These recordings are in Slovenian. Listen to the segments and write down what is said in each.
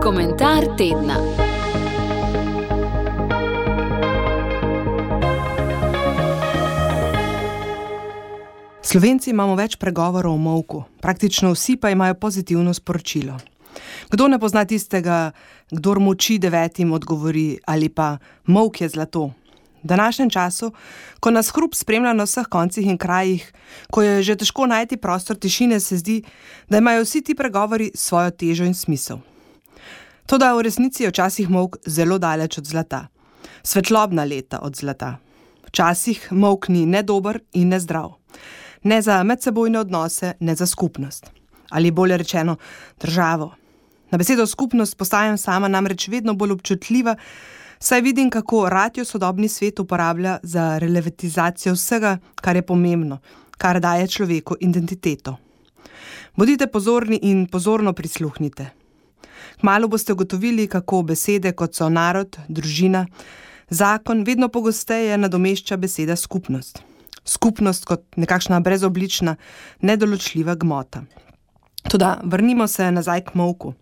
Komentar tedna. Slovenci imamo več pregovorov o molku, praktično vsi pa imajo pozitivno sporočilo. Kdo ne pozna tistega, kdor moči 9 odgovori, ali pa molk je zlato. V današnjem času, ko nas hrup spremlja na vseh koncih in krajih, ko je že težko najti prostor tišine, se zdi, da imajo vsi ti pregovori svojo težo in smisel. Toda v resnici je včasih molk zelo daleč od zlata, svetlobna leta od zlata. Včasih molk ni ne dober in ne zdrav. Ne za medsebojne odnose, ne za skupnost. Ali bolje rečeno, državo. Na besedo skupnost postajam sama namreč vedno bolj občutljiva, saj vidim, kako rad jo sodobni svet uporablja za relativizacijo vsega, kar je pomembno, kar daje človeku identiteto. Bodite pozorni in pozorno prisluhnite. Kmalu boste ugotovili, kako besede, kot so narod, družina, zakon, vedno pogosteje nadomešča beseda skupnost. Skupnost kot nekakšna brezoblična, nedoločljiva gmota. Toda vrnimo se nazaj k molku.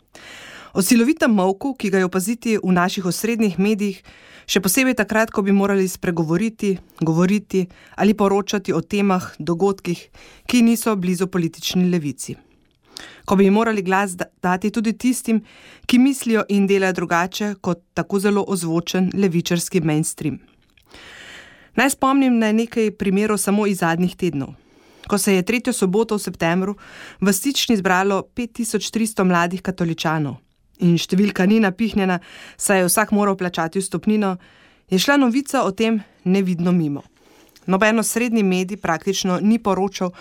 O silovitem molku, ki ga je opaziti v naših osrednjih medijih, še posebej takrat, ko bi morali spregovoriti, govoriti ali poročati o temah, dogodkih, ki niso blizu politični levici. Ko bi morali glas dati tudi tistim, ki mislijo in delajo drugače kot tako zelo ozvočen levičarski mainstream. Naj spomnim na nekaj primerov samo iz zadnjih tednov. Ko se je 3. soboto v septembru v Stični zbralo 5300 mladih katoličanov in številka ni napihnjena, saj je vsak moral plačati vstopnino, je šla novica o tem nevidno mimo. Nobeno srednji medij praktično ni poročal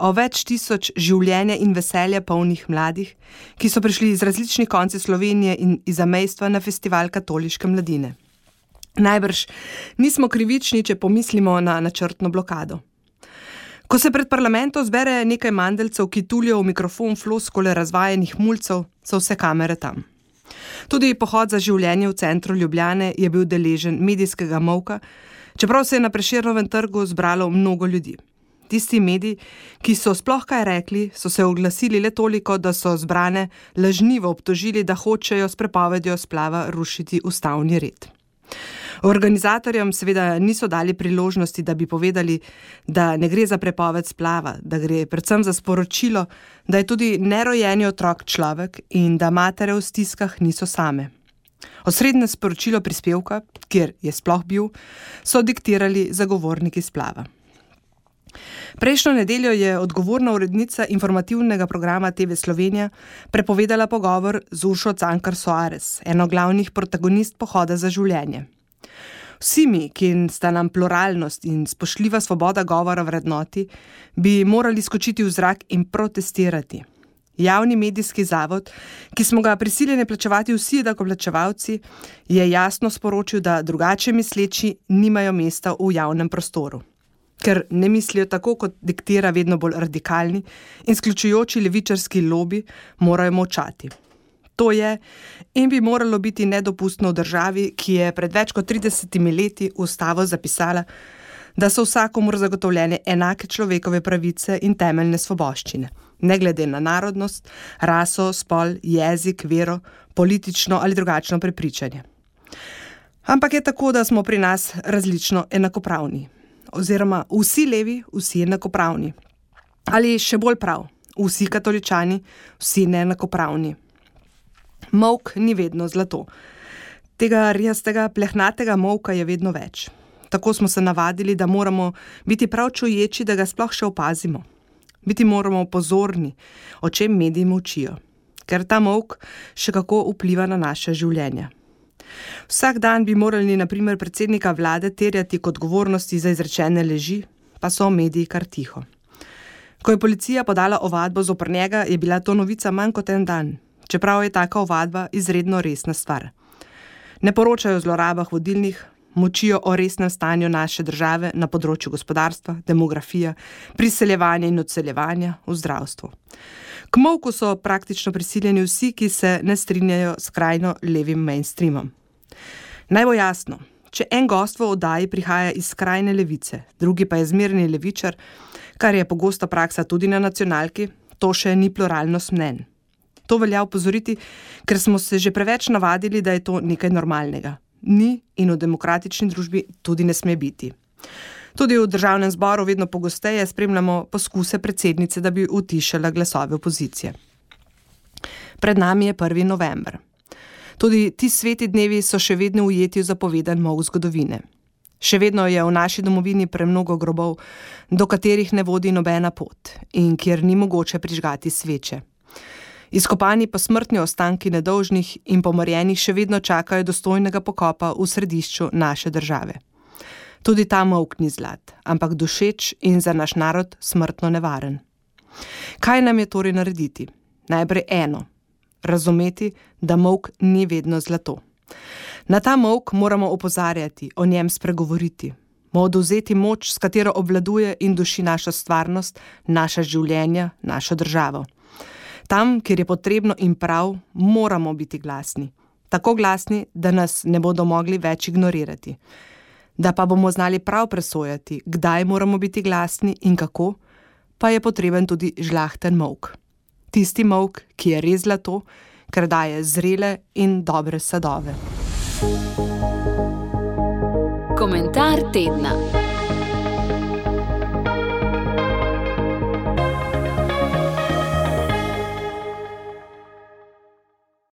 o več tisoč življenja in veselja polnih mladih, ki so prišli iz različnih koncev Slovenije in iz zamejstva na festival katoliške mladine. Najbrž nismo krivični, če pomislimo na načrtno blokado. Ko se pred parlamentom zbere nekaj mandeljcev, ki tulijo v mikrofon floskole razvajenih mulcev, so vse kamere tam. Tudi pohod za življenje v centru Ljubljane je bil deležen medijskega molka, čeprav se je na Prešernovem trgu zbralo mnogo ljudi. Tisti mediji, ki so sploh kaj rekli, so se oglasili le toliko, da so zbrane lažnivo obtožili, da hočejo s prepovedjo splava rušiti ustavni red. Organizatorjem seveda niso dali priložnosti, da bi povedali, da ne gre za prepoved splava, da gre predvsem za sporočilo, da je tudi nerojeni otrok človek in da matere v stiskah niso same. Osrednje sporočilo prispevka, kjer je sploh bil, so diktirali zagovorniki splava. Prejšnjo nedeljo je odgovorna urednica informativnega programa TV Slovenija prepovedala pogovor z Uršo Cankar Soares, eno glavnih protagonist pohoda za življenje. Vsi mi, ki sta nam pluralnost in spoštljiva svoboda govora vrednoti, bi morali skočiti v zrak in protestirati. Javni medijski zavod, ki smo ga prisiljeni plačevati vsi davkoplačevalci, je jasno sporočil, da drugače misleči nimajo mesta v javnem prostoru. Ker ne mislijo tako, kot diktira vedno bolj radikalni in izključujoči levičarski lobi, morajo molčati. To je in bi moralo biti nedopustno v državi, ki je pred več kot 30 leti v ustavo zapisala, da so vsakomur zagotovljene enake človekove pravice in temeljne svoboščine, ne glede na narodnost, raso, spol, jezik, vero, politično ali drugačno prepričanje. Ampak je tako, da smo pri nas različno enakopravni. Oziroma vsi levi, vsi enakopravni. Ali še bolj prav, vsi katoličani, vsi neenakopravni. Molk ni vedno zlato. Tega rjastega, plehnatega molka je vedno več. Tako smo se navadili, da moramo biti prav čuječi, da ga sploh še opazimo. Biti moramo pozorni, o čem mediji molčijo, ker ta molk še kako vpliva na naše življenje. Vsak dan bi morali na primer predsednika vlade terjati k odgovornosti za izrečene laži, pa so mediji kar tiho. Ko je policija podala ovadbo zoper njega, je bila to novica manj kot en dan, čeprav je taka ovadba izredno resna stvar. Ne poročajo o zlorabah vodilnih, močijo o resnem stanju naše države na področju gospodarstva, demografije, priseljevanja in odseljevanja v zdravstvu. K molku so praktično prisiljeni vsi, ki se ne strinjajo s skrajno levim mainstreamom. Naj bo jasno, če en gost v oddaji prihaja iz skrajne levice, drugi pa je zmerni levičar, kar je pogosta praksa tudi na nacionalki, to še ni pluralnost mnenj. To velja opozoriti, ker smo se že preveč navadili, da je to nekaj normalnega. Ni in v demokratični družbi tudi ne sme biti. Tudi v državnem zboru vedno pogosteje spremljamo poskuse predsednice, da bi utišala glasove opozicije. Pred nami je 1. november. Tudi ti sveti dnevi so še vedno ujeti v zapovedan molk zgodovine. Še vedno je v naši domovini premnogo grobov, do katerih ne vodi nobena pot in kjer ni mogoče prižgati sveče. Izkopani posmrtni ostanki nedolžnih in pomorjenih še vedno čakajo dostojnega pokopa v središču naše države. Tudi ta molk ni zlat, ampak dušeč in za naš narod smrtno nevaren. Kaj nam je torej narediti? Najprej eno. Razumeti, da molk ni vedno zlato. Na ta molk moramo opozarjati, o njem spregovoriti. Mu odvzeti moč, s katero obvladuje in duši našo stvarnost, naša življenja, našo državo. Tam, kjer je potrebno in prav, moramo biti glasni. Tako glasni, da nas ne bodo mogli več ignorirati. Da pa bomo znali prav presojati, kdaj moramo biti glasni in kako, pa je potreben tudi žlahten molk. Tisti molk, ki je res zlato, ker daje zrele in dobre sadove. Komentar tedna.